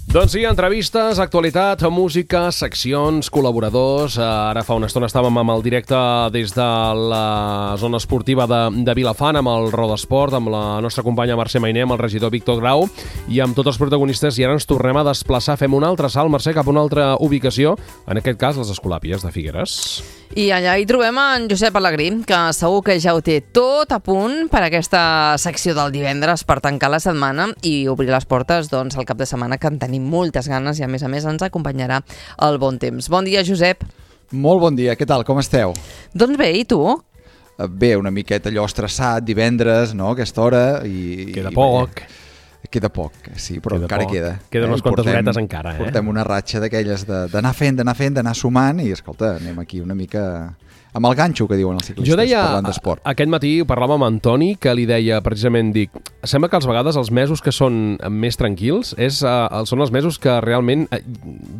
Doncs sí, entrevistes, actualitat, música, seccions, col·laboradors. Ara fa una estona estàvem amb el directe des de la zona esportiva de Vilafant, amb el Rodesport, amb la nostra companya Mercè Mainer, amb el regidor Víctor Grau i amb tots els protagonistes. I ara ens tornem a desplaçar, fem un altre salt, Mercè, cap a una altra ubicació, en aquest cas les Escolàpies de Figueres. I allà hi trobem en Josep Alegrí, que segur que ja ho té tot a punt per aquesta secció del divendres per tancar la setmana i obrir les portes doncs, al cap de setmana, que en tenim moltes ganes i a més ens acompanyarà el bon temps. Bon dia, Josep. Molt bon dia, què tal, com esteu? Doncs bé, i tu? Bé, una miqueta allò estressat, divendres, no?, aquesta hora. Queda poc. Queda poc, sí, però encara queda. Queden unes quantes horetes encara. Portem una ratxa d'aquelles d'anar fent, d'anar sumant i, escolta, anem aquí una mica amb el ganxo que diuen els ciclistes, jo deia, parlant d'esport. Aquest matí parlàvem amb Antoni, que li deia precisament, sembla que a vegades els mesos que són més tranquils són els mesos que realment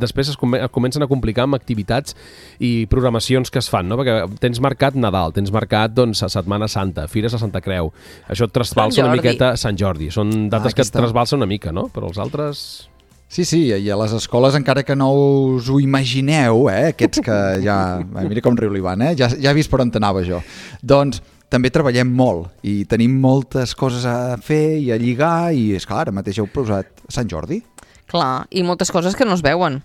després es comencen a complicar amb activitats i programacions que es fan, no? Perquè tens marcat Nadal, tens marcat doncs, Setmana Santa, Fires a Santa Creu, això et trasbalsa una miqueta Sant Jordi, són dates que et trasbalsa una mica, no? Però els altres... Sí, i a les escoles, encara que no us ho imagineu, aquests que ja... Mira com riu l'Ivan, ja he vist per on anava jo. Doncs també treballem molt i tenim moltes coses a fer i a lligar i, esclar, ara mateix heu posat Sant Jordi. Clar, i moltes coses que no es veuen.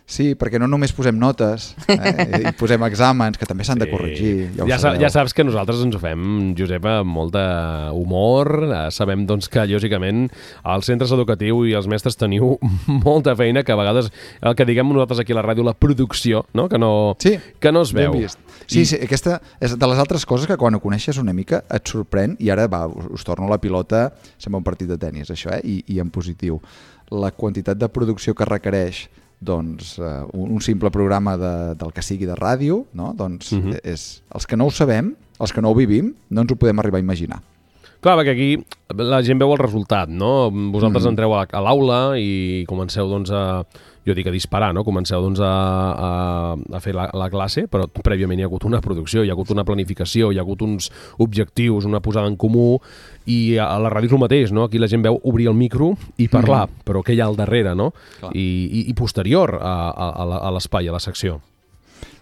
Sí, perquè no només posem notes, i posem exàmens, que també s'han de corregir. Ja saps que nosaltres ens ho fem, Josep, amb molt d'humor. Sabem doncs, que, lògicament, als centres educatius i els mestres teniu molta feina, que a vegades, el que diguem nosaltres aquí a la ràdio, la producció, no? Que no es veu. Sí, aquesta és de les altres coses que quan ho coneixes una mica et sorprèn, i ara us torno la pilota, sembla un partit de tenis, això, i en positiu. La quantitat de producció que requereix doncs, un simple programa del que sigui de ràdio, no? Doncs els que no ho sabem, els que no ho vivim, no ens ho podem arribar a imaginar. Clar, perquè aquí la gent veu el resultat, no? Vosaltres entreu a l'aula i comenceu doncs, a disparar, no? Comenceu doncs, a fer la classe, però prèviament hi ha hagut una producció, hi ha hagut una planificació, hi ha hagut uns objectius, una posada en comú, i a la ràdio és el mateix, no? Aquí la gent veu obrir el micro i parlar, però què hi ha al darrere, no? I posterior a l'espai, a la secció.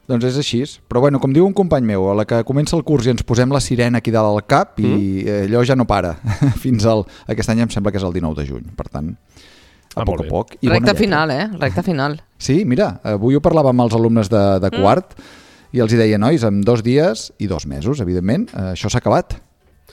Doncs és així, però bueno, com diu un company meu, a la que comença el curs i ens posem la sirena aquí dalt al cap i allò ja no para, fins aquest any em sembla que és el 19 de juny, per tant, a poc a poc. Recta final, recta final. Sí, mira, avui ho parlava amb els alumnes de quart i els hi deia, nois, en 2 dies i 2 mesos, evidentment, això s'ha acabat.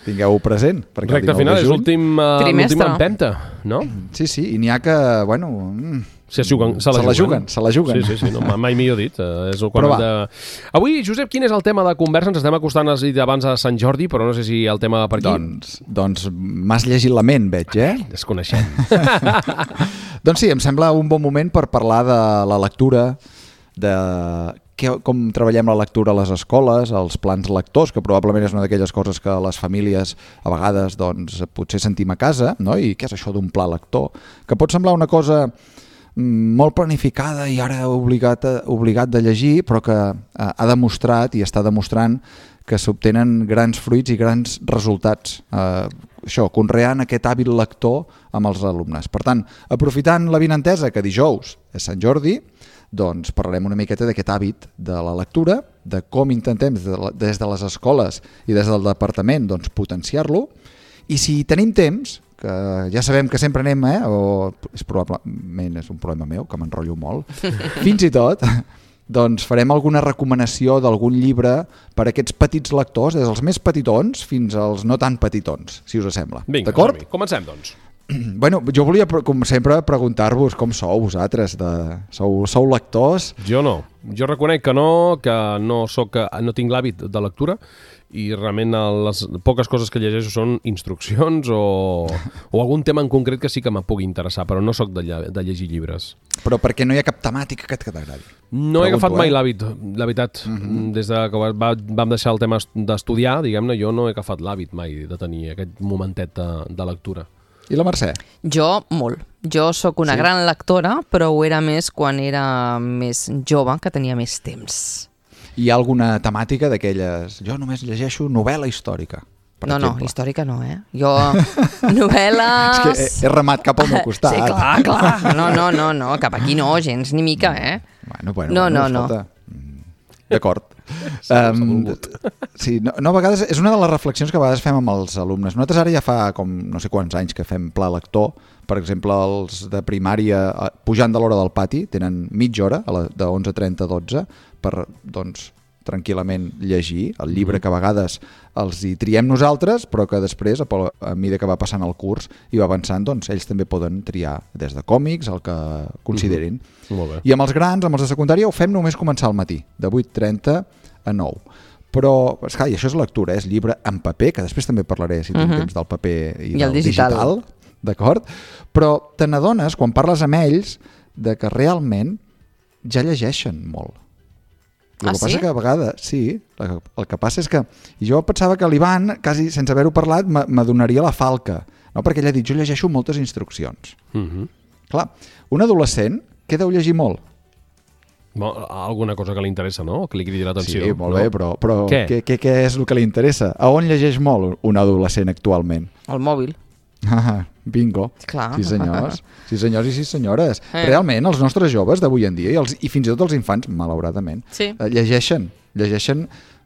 Tingueu-ho present. Recta final és l'última empenta, no? Sí, i n'hi ha que, bueno... Se la juguen. Sí, no, mai millor dit. Avui, Josep, quin és el tema de conversa? Ens estem acostant, has dit abans, a Sant Jordi, però no sé si el tema per aquí... Doncs m'has llegit la ment, veig, Desconeixem. Doncs sí, em sembla un bon moment per parlar de la lectura, de com treballem la lectura a les escoles, els plans lectors, que probablement és una d'aquelles coses que les famílies a vegades doncs, potser sentim a casa, no? I què és això d'un pla lector? Que pot semblar una cosa molt planificada i ara obligat de llegir, però que ha demostrat i està demostrant que s'obtenen grans fruits i grans resultats. Conreant aquest hàbil lector amb els alumnes. Per tant, aprofitant l'avinentesa que dijous és Sant Jordi, doncs parlarem una miqueta d'aquest hàbit de la lectura, de com intentem des de les escoles i des del departament doncs, potenciar-lo, i si tenim temps, que ja sabem que sempre anem, probablement és un problema meu, que m'enrotllo molt, fins i tot, doncs farem alguna recomanació d'algun llibre per a aquests petits lectors, des dels més petitons fins als no tan petitons, si us sembla. Vinga, d'acord? Comencem, doncs. Bueno, jo volia, com sempre, preguntar-vos com sou vosaltres. Sou lectors? Jo no. Jo reconec que no tinc l'hàbit de lectura i realment les poques coses que llegeixo són instruccions o algun tema en concret que sí que me pugui interessar, però no sóc de llegir llibres. Però perquè no hi ha cap temàtica que t'agradi? No he agafat mai l'hàbit, la veritat. Des que vam deixar el tema d'estudiar, diguem-ne, jo no he agafat l'hàbit mai de tenir aquest momentet de lectura. I la Mercè? Jo, molt. Jo sóc una gran lectora, però ho era més quan era més jove, que tenia més temps. Hi ha alguna temàtica d'aquelles... Jo només llegeixo novel·la històrica. per no, exemple. històrica no, Jo, novel·les... És que he remat cap al meu costat. Sí, clar. No, cap aquí no, gens ni mica, Bueno, No. escolta. D'acord. Sí, a vegades és una de les reflexions que a vegades fem amb els alumnes. Nosaltres ara ja fa com no sé quants anys que fem pla lector. Per exemple, els de primària, pujant de l'hora del pati, tenen mitja hora, de 11:30 a 12, per, doncs, tranquil·lament llegir el llibre que a vegades els hi triem nosaltres, però que després, a mesura que va passant el curs i va avançant, doncs ells també poden triar des de còmics, el que considerin. Molt bé. I amb els grans, amb els de secundària, ho fem només començar al matí, de 8:30 a 9. Però, esclar, i això és lectura, és llibre en paper, que després també parlaré, si tinc temps, del paper i del digital. D'acord? Però te n'adones, quan parles amb ells, de que realment ja llegeixen molt. El que passa que a vegades, sí, el que passa és que, i jo pensava que l'Ivan, quasi sense haver-ho parlat, m'adonaria la falca, no? Perquè ell ha dit, jo llegeixo moltes instruccions. Clar, un adolescent, què deu llegir molt? Alguna cosa que li interessa, no? Que li cridi l'atenció. Sí, molt bé, però què és el que li interessa? A on llegeix molt un adolescent actualment? Al mòbil. Bingo. Clar. Sí senyors i sí senyores. Realment, els nostres joves d'avui en dia, i fins i tot els infants, malauradament, llegeixen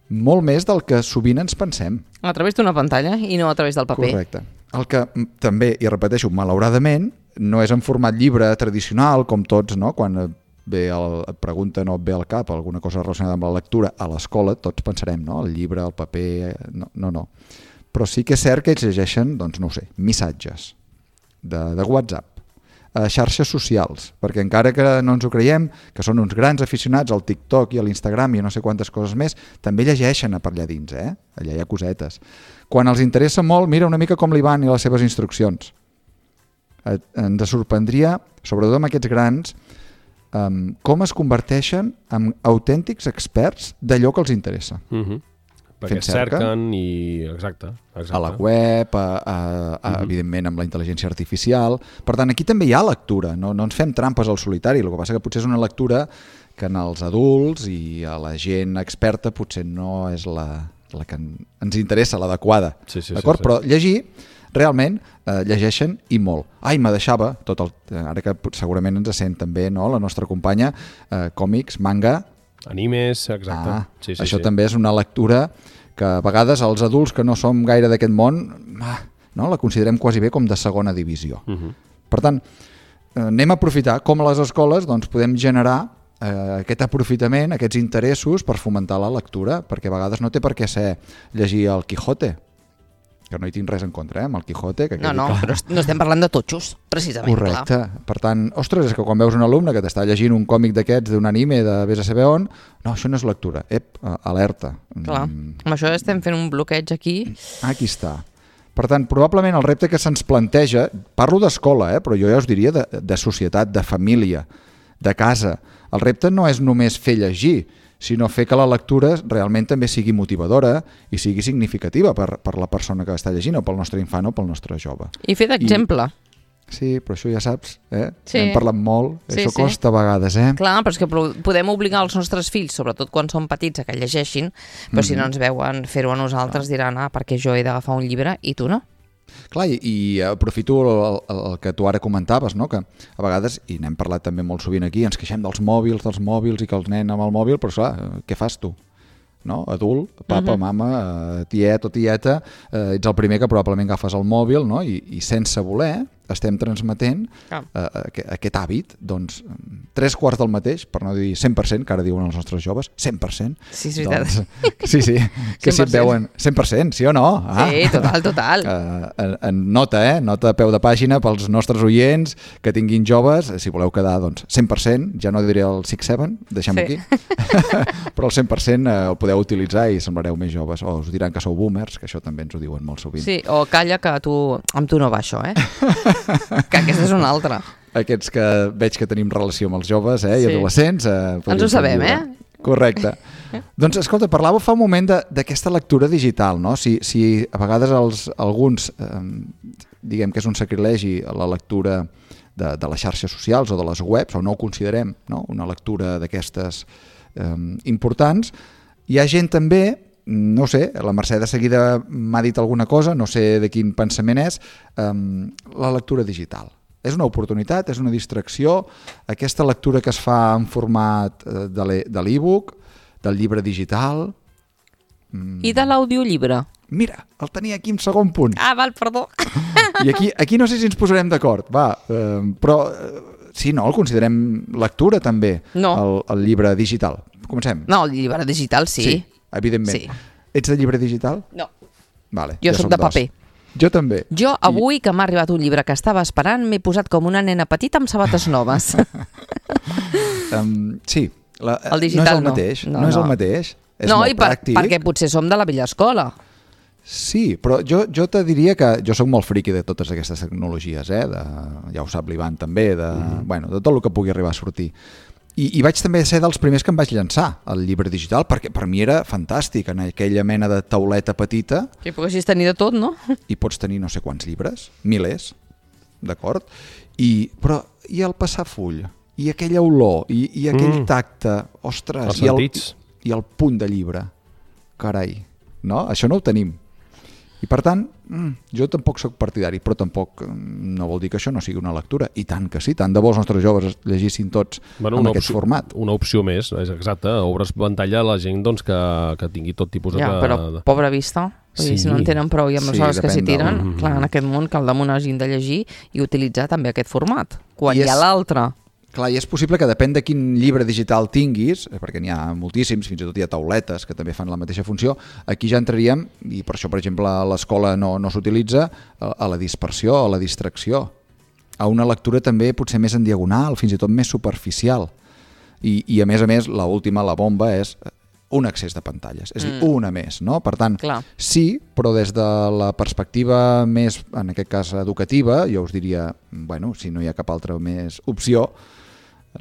molt més del que sovint ens pensem. A través d'una pantalla i no a través del paper. Correcte. El que també, i repeteixo, malauradament, no és en format llibre tradicional, com tots, no? Quan et pregunten o et ve al cap alguna cosa relacionada amb la lectura a l'escola, tots pensarem, no? El llibre, el paper... No. Però sí que és cert que ells llegeixen, doncs no ho sé, missatges de WhatsApp, xarxes socials, perquè encara que no ens ho creiem, que són uns grans aficionats al TikTok i a l'Instagram i a no sé quantes coses més, també llegeixen per allà dins, allà hi ha cosetes. Quan els interessa molt, mira una mica com l'Ivan i les seves instruccions. Ens sorprendria, sobretot amb aquests grans, com es converteixen en autèntics experts d'allò que els interessa. Perquè cerquen i... Exacte. A la web, evidentment amb la intel·ligència artificial. Per tant, aquí també hi ha lectura, no ens fem trampes al solitari. El que passa que potser és una lectura que en els adults i a la gent experta potser no és la que ens interessa, l'adequada. D'acord? Però llegir, realment, llegeixen i molt. Me deixava, ara que segurament ens sent també la nostra companya, còmics, manga... Animes, exacte. Això també és una lectura que a vegades els adults que no som gaire d'aquest món la considerem quasi bé com de segona divisió. Per tant, anem a aprofitar com a les escoles podem generar aquest aprofitament, aquests interessos per fomentar la lectura, perquè a vegades no té per què ser llegir el Quijote, que no hi tinc res en contra, amb el Quijote. No, però no estem parlant de totxos, precisament. Correcte. Per tant, ostres, és que quan veus un alumne que t'està llegint un còmic d'aquests, d'un anime, de vés a saber on, no, això no és lectura. Alerta. Clar, amb això estem fent un bloqueig aquí. Aquí està. Per tant, probablement el repte que se'ns planteja, parlo d'escola, però jo ja us diria de societat, de família, de casa. El repte no és només fer llegir, sinó fer que la lectura realment també sigui motivadora i sigui significativa per la persona que està llegint, o pel nostre infant o pel nostre jove. I fer d'exemple. Sí, però això ja saps, Sí. Hem parlat molt, això costa a vegades, Clar, però és que podem obligar els nostres fills, sobretot quan són petits, a que llegeixin, però si no ens veuen fer-ho a nosaltres diran, perquè jo he d'agafar un llibre i tu no. Clar, i aprofito el que tu ara comentaves, no? Que a vegades, i n'hem parlat també molt sovint aquí, ens queixem dels mòbils i que els nens amb el mòbil, però clar, què fas tu? No? Adult, papa, mama, tiet o tieta, ets el primer que probablement agafes el mòbil, no? I sense voler estem transmetent aquest hàbit, doncs 3/4 del mateix, per no dir 100%, que ara diuen els nostres joves, 100%. Sí, és veritat. Doncs, sí, que si et veuen 100%, sí o no? Sí, total. Nota, nota a peu de pàgina pels nostres oients que tinguin joves, si voleu quedar, doncs 100%, ja no diré el 6-7, deixem-ho aquí, però el 100% el podeu utilitzar i semblareu més joves, o us diran que sou boomers, que això també ens ho diuen molt sovint. Sí, o calla que amb tu no va això, que aquesta és una altra. Aquests que veig que tenim relació amb els joves i adolescents. Ens ho sabem, Correcte. Doncs, escolta, parlava fa un moment d'aquesta lectura digital, no? Si a vegades alguns, diguem que és un sacrilegi la lectura de les xarxes socials o de les webs, o no ho considerem una lectura d'aquestes importants, hi ha gent també no sé, la Mercè de seguida m'ha dit alguna cosa, no sé de quin pensament és, la lectura digital. És una oportunitat, és una distracció, aquesta lectura que es fa en format de l'e-book, del llibre digital... I de l'audiollibre? Mira, el tenia aquí en segon punt. Ah, val, perdó. I aquí no sé si ens posarem d'acord, però sí, no, el considerem lectura també, el llibre digital. Comencem. No, el llibre digital sí. Sí, evidentment. Sí. Ets de llibre digital? No. Vale, Jo soc de paper. Jo també. Jo avui que m'ha arribat un llibre que estava esperant m'he posat com una nena petita amb sabates noves. Sí, el digital no és el mateix. No és el mateix. És molt pràctic. Perquè potser som de la vella escola. Sí, però jo te diria que jo sóc molt friqui de totes aquestes tecnologies, ja ho sap l'Ivan també, de tot el que pugui arribar a sortir. I vaig també ser dels primers que em vaig llançar al llibre digital, perquè per mi era fantàstic, en aquella mena de tauleta petita. Que poguessis tenir de tot, no? I pots tenir no sé quants llibres, milers, d'acord? Però i el passar full, i aquella olor, i aquell tacte, ostres, els sentits. I el punt de llibre, carai, no? Això no ho tenim. I per tant, jo tampoc sóc partidari, però tampoc no vol dir que això no sigui una lectura. I tant que sí, tant de bo els nostres joves llegissin tots en aquest format. Una opció més, és exacte. Obres pantalla a la gent que tingui tot tipus de... Ja, però pobra vista. Sí. Si no en tenen prou i amb les hores que s'hi tiren, clar, en aquest món cal damunt hagin de llegir i utilitzar també aquest format. Quan hi ha l'altre... Clar, i és possible que depèn de quin llibre digital tinguis, perquè n'hi ha moltíssims, fins i tot hi ha tauletes que també fan la mateixa funció, aquí ja entraríem, i per això, per exemple, a l'escola no s'utilitza, a la dispersió, a la distracció, a una lectura també potser més en diagonal, fins i tot més superficial. I a més, l'última, la bomba, és un excés de pantalles, és a dir, una més, no? Per tant, sí, però des de la perspectiva més, en aquest cas, educativa, jo us diria, si no hi ha cap altra més opció,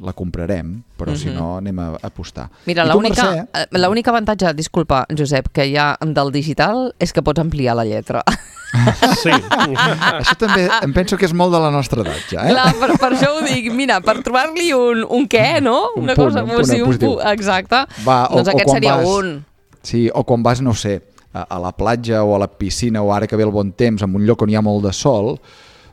la comprarem, però si no anem a apostar. Mira, l'únic avantatge, disculpa, Josep, que hi ha del digital és que pots ampliar la lletra. Sí. Això també em penso que és molt de la nostra edat, ja. Clar, per això ho dic, mira, per trobar-li un què, no? Un punt positiu. Exacte. Doncs aquest seria un. Sí, o quan vas, no sé, a la platja o a la piscina o ara que ve el bon temps, en un lloc on hi ha molt de sol,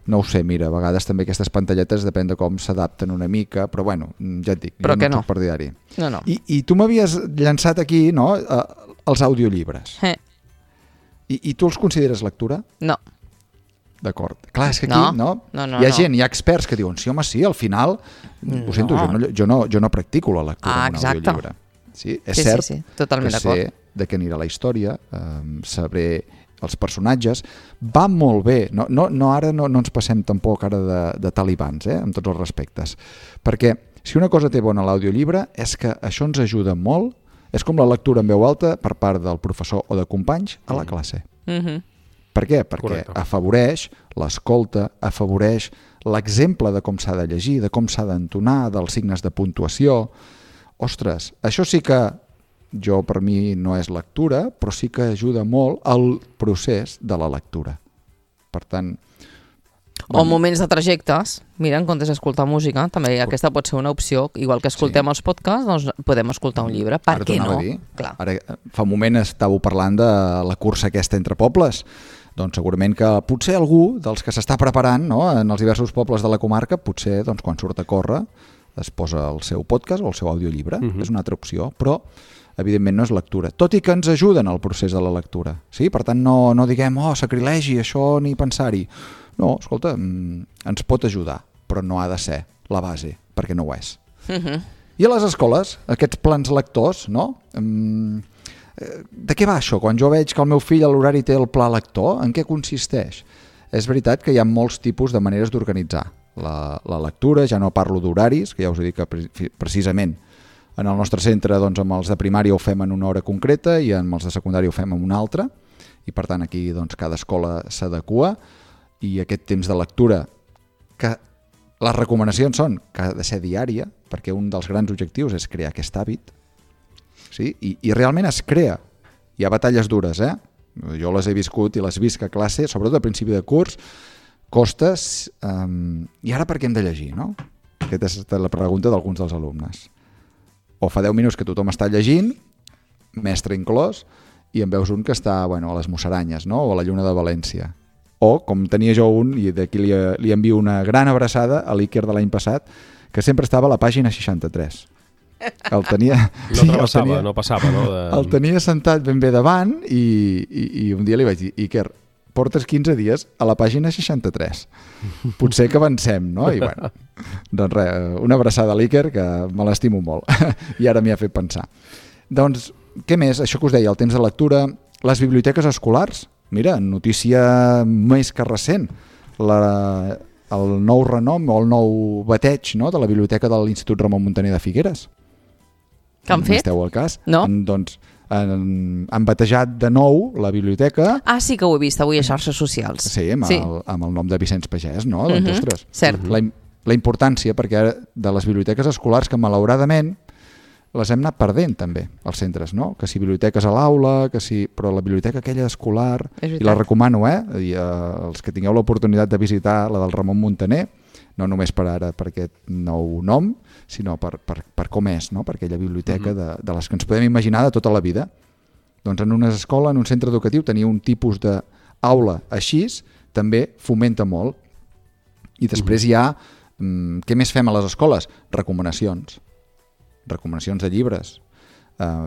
no ho sé, mira, a vegades també aquestes pantalletes depèn de com s'adapten una mica, però ja et dic, però jo no soc partidari. No. I tu m'havies llançat aquí, no?, els audiollibres. I tu els consideres lectura? No. D'acord. Clar, és que aquí, no? Hi ha gent, hi ha experts que diuen, sí, home, sí, al final, ho sento, jo no practico la lectura en un audiollibre. Sí, és cert totalment que sé de què anirà la història, sabré els personatges, va molt bé, ara no ens passem tampoc ara de talibans, amb tots els respectes, perquè si una cosa té bona l'audiollibre és que això ens ajuda molt, és com la lectura en veu alta per part del professor o de companys a la classe. Per què? Perquè afavoreix l'escolta, afavoreix l'exemple de com s'ha de llegir, de com s'ha d'entonar, dels signes de puntuació. Ostres, això sí que per mi no és lectura, però sí que ajuda molt al procés de la lectura. Per tant... O moments de trajectes. Mira, en comptes d'escoltar música, també aquesta pot ser una opció. Igual que escoltem els podcasts, doncs podem escoltar un llibre. Per què no? Ara, fa un moment estàveu parlant de la cursa aquesta entre pobles. Doncs segurament que potser algú dels que s'està preparant, no, en els diversos pobles de la comarca, potser quan surt a córrer es posa el seu podcast o el seu audiollibre. És una altra opció, però evidentment no és lectura, tot i que ens ajuden al procés de la lectura. Sí? Per tant, no diguem, sacrilegi, això ni pensar-hi. No, escolta, ens pot ajudar, però no ha de ser la base, perquè no ho és. I a les escoles, aquests plans lectors, no? De què va això? Quan jo veig que el meu fill a l'horari té el pla lector, en què consisteix? És veritat que hi ha molts tipus de maneres d'organitzar la lectura, ja no parlo d'horaris, que ja us he dit que precisament en el nostre centre, doncs, amb els de primària ho fem en una hora concreta i amb els de secundària ho fem en una altra, i per tant aquí doncs, cada escola s'adequa, i aquest temps de lectura, que les recomanacions són que ha de ser diària, perquè un dels grans objectius és crear aquest hàbit, sí? I realment es crea. Hi ha batalles dures, jo les he viscut i les visc a classe, sobretot a principi de curs, costes, i ara per què hem de llegir, no? Aquesta és la pregunta d'alguns dels alumnes. O fa 10 minuts que tothom està llegint, mestre inclòs, i en veus un que està a les Musaranyes, no? O a la Lluna de València. O, com tenia jo un, i d'aquí li envio una gran abraçada a l'Iker de l'any passat, que sempre estava a la pàgina 63. El tenia... No passava, no? El tenia sentat ben bé davant i un dia li vaig dir, Iker, portes 15 dies a la pàgina 63. Potser que avancem, no? I bueno, doncs res, una abraçada a l'Iker, que me l'estimo molt. I ara m'hi ha fet pensar. Doncs, què més? Això que us deia, el temps de lectura, les biblioteques escolars. Mira, notícia més que recent. El nou renom o el nou bateig, no?, de la biblioteca de l'Institut Ramon Muntaner de Figueres. Què han fet? Esteu al cas? No. Doncs han batejat de nou la biblioteca. Ah, sí que ho he vist avui a xarxes socials. Sí, amb el nom de Vicenç Pagès, no? Doncs, ostres, cert. La importància, perquè de les biblioteques escolars, que malauradament les hem anat perdent també, als centres, no? Que si biblioteques a l'aula, però la biblioteca aquella escolar, i la recomano, els que tingueu l'oportunitat de visitar la del Ramon Muntaner, no només per aquest nou nom, sinó per com és, no? Per aquella biblioteca de les que ens podem imaginar de tota la vida. Doncs en una escola, en un centre educatiu, tenir un tipus d'aula així també fomenta molt. I després hi ha, què més fem a les escoles? Recomanacions de llibres,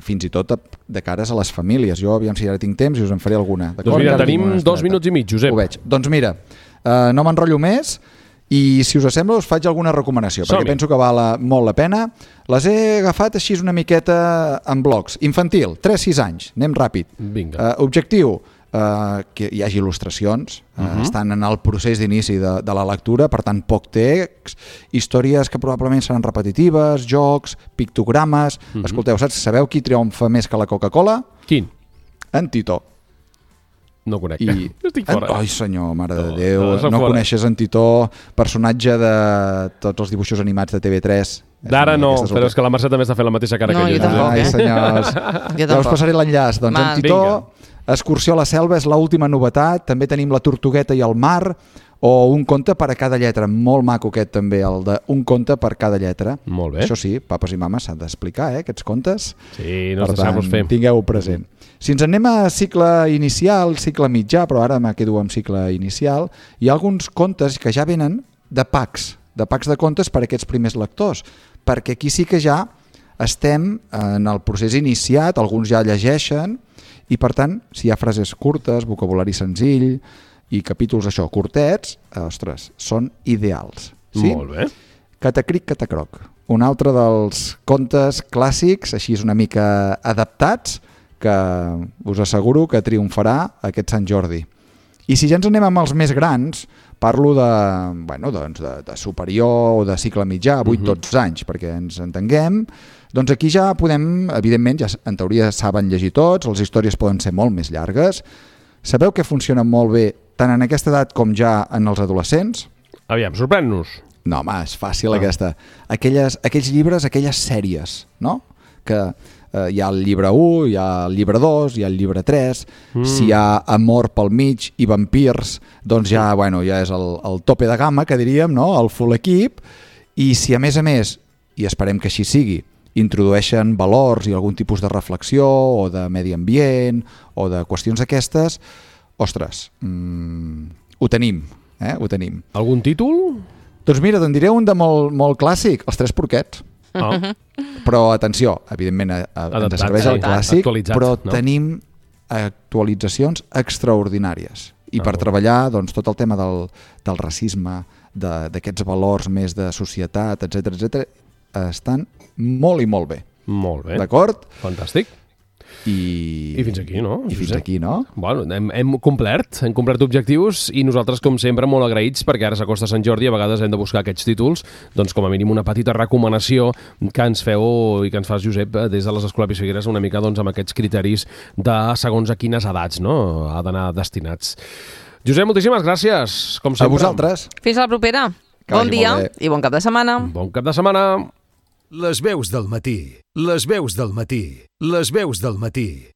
fins i tot de cares a les famílies. Jo, aviam si ara tinc temps i us en faré alguna. Doncs mira, tenim 2 minuts i mig, Josep. Ho veig. Doncs mira, no m'enrotllo més i si us sembla us faig alguna recomanació, perquè penso que val molt la pena. Les he agafat així una miqueta en blocs. Infantil, 3-6 anys, anem ràpid. Vinga. Objectiu, que hi hagi il·lustracions, estan en el procés d'inici de la lectura, per tant poc text, històries que probablement seran repetitives, jocs, pictogrames. Escolteu, sabeu qui triomfa més que la Coca-Cola? Quin? En Titó. No conec. Estic fora. Ai senyor, mare de Déu, no coneixes en Titó, personatge de tots els dibuixos animats de TV3. D'ara no, però és que la Mercè també està fent la mateixa cara que jo. Jo tampoc, Ai senyors, ja us passaré l'enllaç. Doncs en Titó, Excursió a la selva és l'última novetat, també tenim La tortugueta i el mar, o Un conte per a cada lletra, molt maco aquest també, el de Un conte per cada lletra. Molt bé. Això sí, papes i mames s'han d'explicar, aquests contes. Sí, no es deixar-los fer. Tingueu-ho present. Si ens anem a cicle inicial, cicle mitjà, però ara me quedo amb cicle inicial, hi ha alguns contes que ja venen de packs de contes per a aquests primers lectors, perquè aquí sí que ja estem en el procés iniciat, alguns ja llegeixen, i per tant, si hi ha frases curtes, vocabulari senzill i capítols això, curtets, ostres, són ideals. Sí? Molt bé. Catacric, catacroc. Un altre dels contes clàssics, així és una mica adaptats, que us asseguro que triomfarà aquest Sant Jordi. I si ja ens anem amb els més grans, parlo de superior o de cicle mitjà, 8-12 anys, perquè ens entenguem, doncs aquí ja podem, evidentment, ja en teoria saben llegir tots, les històries poden ser molt més llargues. Sabeu que funcionen molt bé tant en aquesta edat com ja en els adolescents? Aviam, sorprèn-nos. No, home, és fàcil aquesta. Aquells llibres, aquelles sèries, no? Que hi ha el llibre 1, hi ha el llibre 2, hi ha el llibre 3, si hi ha amor pel mig i vampirs, doncs ja és el tope de gamma, que diríem, no? El full equip, i si a més, i esperem que així sigui, introdueixen valors i algun tipus de reflexió o de medi ambient o de qüestions aquestes, ostres, ho tenim, ho tenim. Algun títol? Doncs mira, te'n diré un de molt clàssic, Els tres porquets. Però atenció, evidentment ens serveix el clàssic, però tenim actualitzacions extraordinàries. I per treballar tot el tema del racisme, d'aquests valors més de societat, etc, estan molt i molt bé. Molt bé. D'acord? Fantàstic. I fins aquí, no? I fins aquí, no? Bueno, hem complert objectius i nosaltres, com sempre, molt agraïts perquè ara s'acosta Sant Jordi i a vegades hem de buscar aquests títols, doncs com a mínim una petita recomanació que ens feu i que ens fas, Josep, des de les Escolapis Figueres, una mica amb aquests criteris de segons a quines edats, no? Ha d'anar destinats. Josep, moltíssimes gràcies, com sempre. A vosaltres. Fins a la propera. Bon dia i bon cap de setmana. Bon cap de setmana. Les veus del matí. Les veus del matí. Les veus del matí.